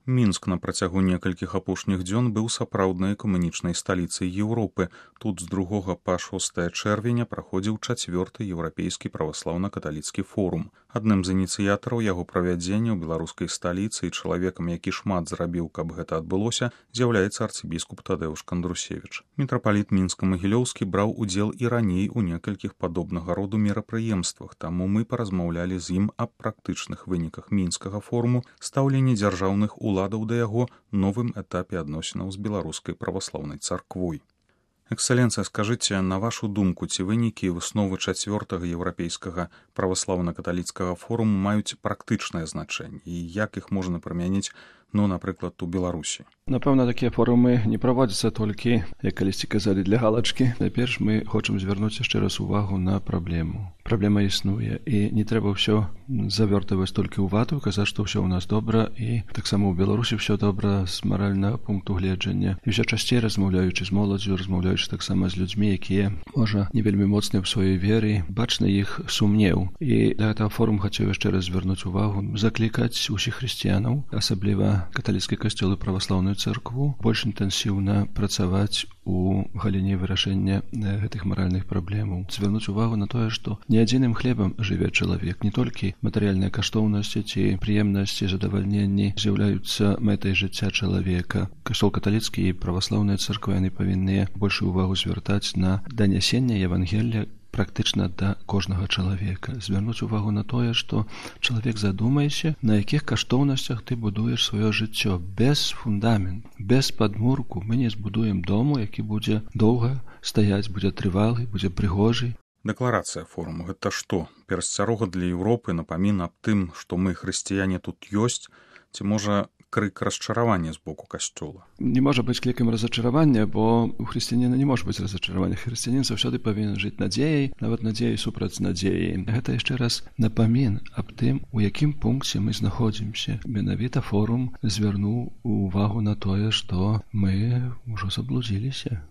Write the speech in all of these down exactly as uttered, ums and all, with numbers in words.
Мінск на працягу некалькіх апошніх дзён быў сапраўднай экумэнічнай сталіцай Еўропы. Тут з другога па шостае чэрвеня праходзіў чацвёрты еўрапейскі праваслаўна-каталіцкі форум. Адным з ініцыятараў яго правядзення ў беларускай сталіцы і чалавекам, які шмат зрабіў, каб гэта адбылося, з'яўляецца арцыбіскуп Тадэўш Кандрусевіч. Мітрапаліт Мінска-Магілёўскі браў удзел і раней у некалькіх падобнага роду мерапрыемствах, таму мы паразмаўлялі з ім аб практычных выніках мінскага форуму, стаўленні дзяржаўных уладаў да яго, новым этапе адносінаў з беларускай праваслаўнай царквой. Эксцэленцыя, скажыце, на вашу думку, ці вынікі высновы чацвёртага еўрапейскага праваслаўна-каталіцкага форуму маюць практычнае значэнне і як іх можна прымяніць, ну, напрыклад, у Беларусі? Напэўна, такія форумы не праводзяцца толькі, як калісьці казалі, для галачкі. Найперш мы хочам звярнуць яшчэ раз увагу на праблему. Праблема існуе, і не трэба ўсё завёртаваць толькі ў вату, казаць, што ўсё ў нас добра, і таксама ў Беларусі ўсё добра з маральнага пункту гледжання. І ўсё часцей размаўляючы з моладдзю, размаўляючы таксама з людзьмі, якія, можа, не вельмі моцныя ў сваёй веры, бачна іх сумнеў. І для гэтага форум хацеў яшчэ раз звярнуць увагу, заклікаць усіх хрысціянаў, асабліва каталіцкі касцёл і праваслаўную царкву, больш інтэнсіўна працаваць у галіне вырашэння гэтых маральных праблемаў. Звярнуць увагу на тое, што не адзіным хлебам жыве чалавек, не толькі матэрыяльныя каштоўнасці ці прыемнасці, задавальненні з'яўляюцца мэтай жыцця чалавека. Касцёл каталіцкі і праваслаўныя царквы, яны павінны большую увагу звяртаць на данясенне Евангелля практычна да кожнага чалавека. Звярнуць увагу на тое, што чалавек, задумайся, на якіх каштоўнасцях ты будуеш сваё жыццё. Без фундамент, без падмурку мы не збудуем дому, які будзе доўга стаяць, будзе трывалы, будзе прыгожы. Дэкларацыя форуму — гэта што? Перасцярога для Еўропы, напамін аб тым, што мы, хрысціяне, тут ёсць, ці можа крык расчаравання з боку касцёла? Не можа быць крыкам разачаравання, бо у хрысціяніна не можа быць разачаравання. Хрысціянін заўсёды павінен жыць надзеяй, нават надзеяй супраць надзеі. Гэта яшчэ раз напамін аб тым, у якім пункце мы знаходзімся. Менавіта форум звярнуў увагу на тое, што мы ўжо заблудзіліся.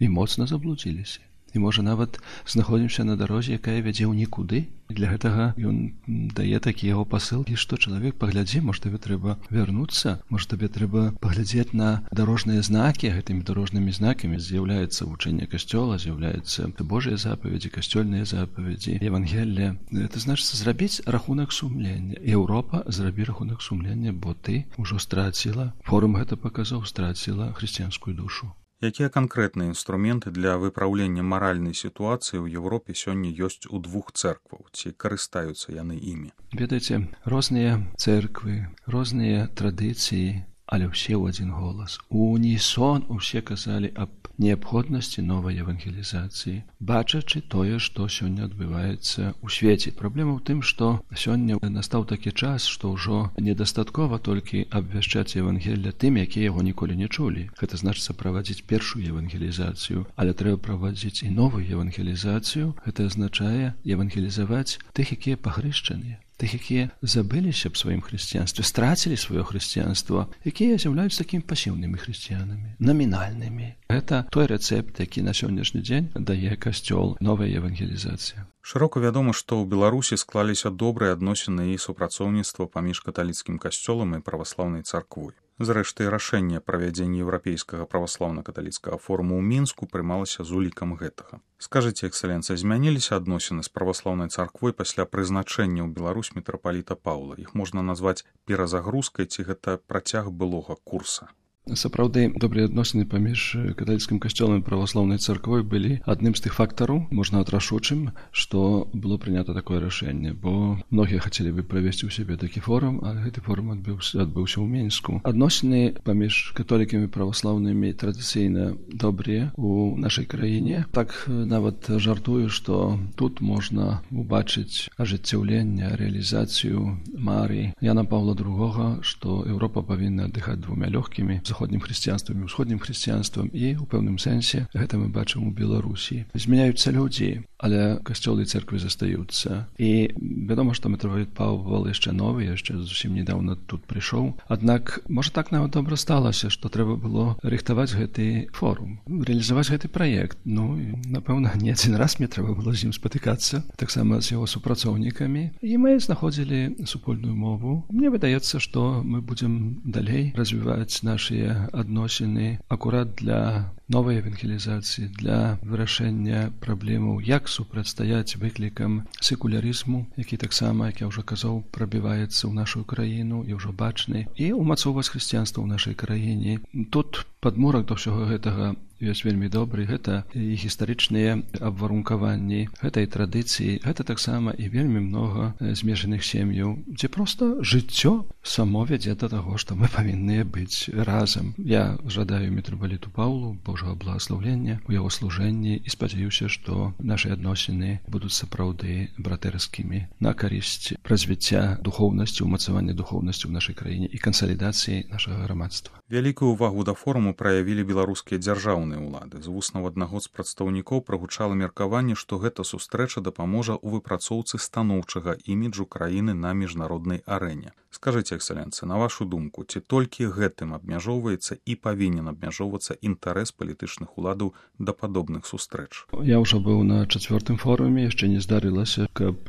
І моцна заблудзіліся. І, можа, нават знаходзімся на дарозе, якая вядзе ў нікуды. Для гэтага ён дае такі яго пасылкі, што чалавек, паглядзі, можа, табе трэба вярнуцца, можа, табе трэба паглядзець на дарожныя знакі. Гэтымі дарожнымі знакамі з'яўляецца вучэнне касцёла, з'яўляецца Божыя запаведзі, касцёльныя запаведзі, Евангелле. Гэта значыцца зрабіць рахунак сумлення. Еўропа, зрабі рахунак сумлення, бо ты ўжо страціла, форум гэта паказаў, страціла хрысціянскую душу. Якія канкрэтныя інструменты для выпраўлення маральнай сітуацыі ў Еўропе сёння ёсць у двух цэркваў? Ці карыстаюцца яны імі? Ведаеце, розныя цэрквы, розныя традыцыі, але ўсе ў адзін голас. У унісон усе казалі аб неабходнасці новай евангелізацыі, бачачы тое, што сёння адбываецца ў свеце. Праблема ў тым, што сёння настаў такі час, што ўжо недастаткова толькі абвяшчаць Евангелля тым, якія яго ніколі не чулі. Гэта значыцца правадзіць першую евангелізацыю, але трэба правадзіць і новую евангелізацыю. Гэта азначае евангелізаваць тых, якія пахрышчаныя, тых, якія забыліся б сваім хрысціянстве, страцілі сваё хрысціянства, якія з'яўляюцца такімі пасіўнымі хрысціянамі, намінальнымі. Гэта той рэцэпт, які на сённяшні дзень дае касцёл, новая евангелізацыя. Шырока вядома, што ў Беларусі склаліся добрыя адносіны і супрацоўніцтва паміж каталіцкім касцёлам і праваслаўнай царквой. Зрэшты, рашэнне правядзення еўрапейскага праваслаўна-каталіцкага форуму ў Мінску прымалася з улікам гэтага. Скажыце, эксцэленцыя, змяніліся адносіны з праваслаўнай царквой пасля прызначэння ў Беларусь мітрапаліта Паўла? Іх можна назваць перазагрузкай, ці гэта працяг былога курса? Сапраўды, добрыя адносіны паміж каталіцкім касцёлам і праваслаўнай царквой былі адным з тых фактараў, можна рашучым, што было прынята такое рашэнне, бо многія хацелі бы правесці ў сябе такі форум, а гэты форум адбыўся, адбыўся ў Мінску. Адносіны паміж католікамі і праваслаўнымі традыцыйна добрыя ў нашай краіне. Так нават жартую, што тут можна убачыць ажыццяўленне, рэалізацыю мары Яна Паўла другога, што Еўропа павінна аддыхаць двумя лёгкімі. заходнім хрысціянствам і ўсходнім хрысціянствам, і ў пэўным сэнсе гэта мы бачым у Беларусі. Змяняюцца людзі, але касцёлы і церквы застаюцца. І вядома, што мітрапаліт Павал яшчэ новы, яшчэ зусім недаўна тут прыйшоў. Аднак, можа так нават добра сталася, што трэба было рыхтаваць гэты форум, рэалізаваць гэты праект. Ну, і, напэўна, не адзін раз мне трэба было з ім спатыкацца, таксама з яго супрацоўнікамі. І мы знаходзілі супольную мову. Мне выдаецца, што мы будзем далей развіваць нашыя адносіны акурат для новай евангелізацыі, для вырашэння праблемаў, як супрацьстаяць выклікам секулярызму, які таксама, як я ўжо казаў, прабіваецца ў нашу краіну і ўжо бачны, і ўмацоўваць хрысціянства ў нашай краіне. Тут падмурак да ўсяго гэтага ёсць вельмі добры. Гэта і гістарычныя абварункаванні, гэта і традыцыі, гэта таксама і вельмі многа змешаных сем'яў, дзе проста жыццё само вядзе да таго, што мы павінны быць разам. Я жадаю мітрапаліту Паўлу Божага благаслаўлення у яго служэнні і спадзяюся, што нашы адносіны будуць сапраўды братэрскімі на карысць развіцця духоўнасці, умацавання духоўнасці ў нашай краіне і кансалідацыі нашага грамадства. Вялікую ўвагу да форуму праявілі беларускія дзяржаўныя ўлады. З вуснаў аднаго з прадстаўнікоў прагучала меркаванне, што гэта сустрэча дапаможа ў выпрацоўцы станоўчага іміджу краіны на міжнароднай арэне. Скажыце, эксцэлэнцыя, на вашу думку, ці толькі гэтым абмяжоўваецца і павінен абмяжоўвацца інтарэс палітычных уладаў да падобных сустрэч? Я ўжо быў на чацвёртым форуме, яшчэ не здарылася, каб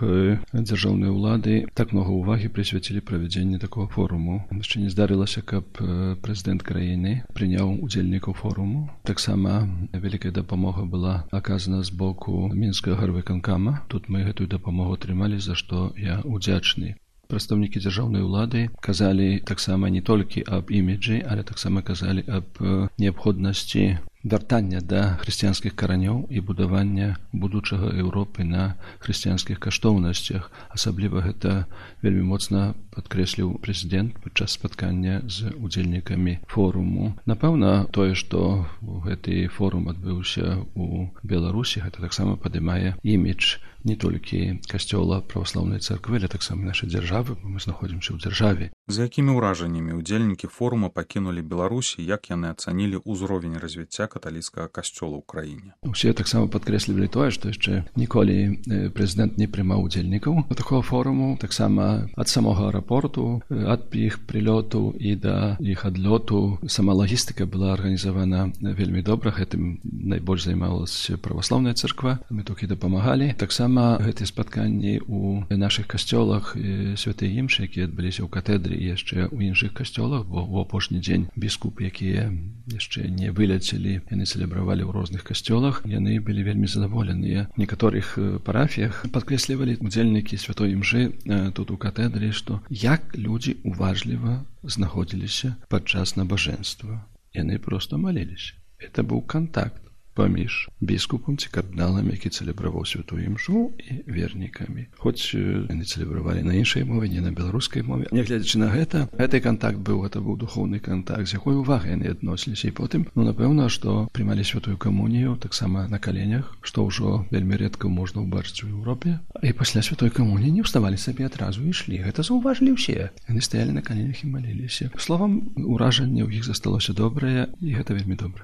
дзяржаўныя ўлады так многа ўвагі прысвяцілі правядзенню такого форуму. Яшчэ не здарылася, каб прэзідэнт краіны прыняў удзельнікаў форуму. Таксама вялікая дапамога была аказана з боку мінскага гарвыканкама. Тут мы гэтую дапамогу атрымалі, за што я удзячны. Прадстаўнікі дзяржаўнай улады казалі таксама не толькі аб іміджы, але таксама казалі аб неабходнасці вяртання да хрысціянскіх каранёў і будавання будучага Еўропы на хрысціянскіх каштоўнасцях. Асабліва гэта вельмі моцна падкрэсліў прэзідэнт падчас спаткання з удзельнікамі форуму. Напэўна, тое, што гэты форум адбыўся ў Беларусі, гэта таксама падымае імідж не толькі касцёла праваслаўнай царквы, але таксама нашай дзяржавы, бо мы знаходзімся ў дзяржаве. З якімі ўражаннямі удзельнікі форума пакінулі Беларусь і як яны ацанілі ўзровень развіцця каталіцкага касцёла ў краіне? Усе таксама падкрэслівалі тое, што яшчэ ніколі прэзідэнт не прымаў удзельнікаў такога форуму. Таксама ад самога аэрапорту, ад іх прылёту і да іх адлёту сама лагістыка была арганізавана вельмі добра. Гэтым найбольш займалася праваслаўная царква. Мы толькі дапамагалі. Таксама гэтыя спатканні ў нашых касцёлах святай імшы, якія адбыліся ў катедры і яшчэ ў іншых касцёлах, бо ў апошні дзень біскупы, якія яшчэ не вылецелі, яны цэлебравалі ў розных касцёлах, яны былі вельмі задаволеныя. У некаторых парафіях падкрэслівалі удзельнікі святой імшы тут у катедры, што як людзі уважліва знаходзіліся падчас набажэнства. Яны проста маліліся. Это быў кантакт паміж біскупам ці кардыналам, які цэлебраваў святую імшу, і вернікамі. Хоць яны цэлебравалі на іншай мове, не на беларускай мове. Нягледзячы на гэта, гэты кантакт быў, гэта быў духоўны кантакт, з якой увагай яны адносіліся. І потым, ну, напэўна, што прымалі святую камунію таксама на каленях, што ўжо вельмі рэдка можна ўбачыць у Еўропе. І пасля святой камуніі не ўставалі сабе адразу і ішлі. Гэта заўважылі ўсе. Яны стаялі на каленях і маліліся. Словам, уражанне ў іх засталося добрае, і гэта вельмі добра.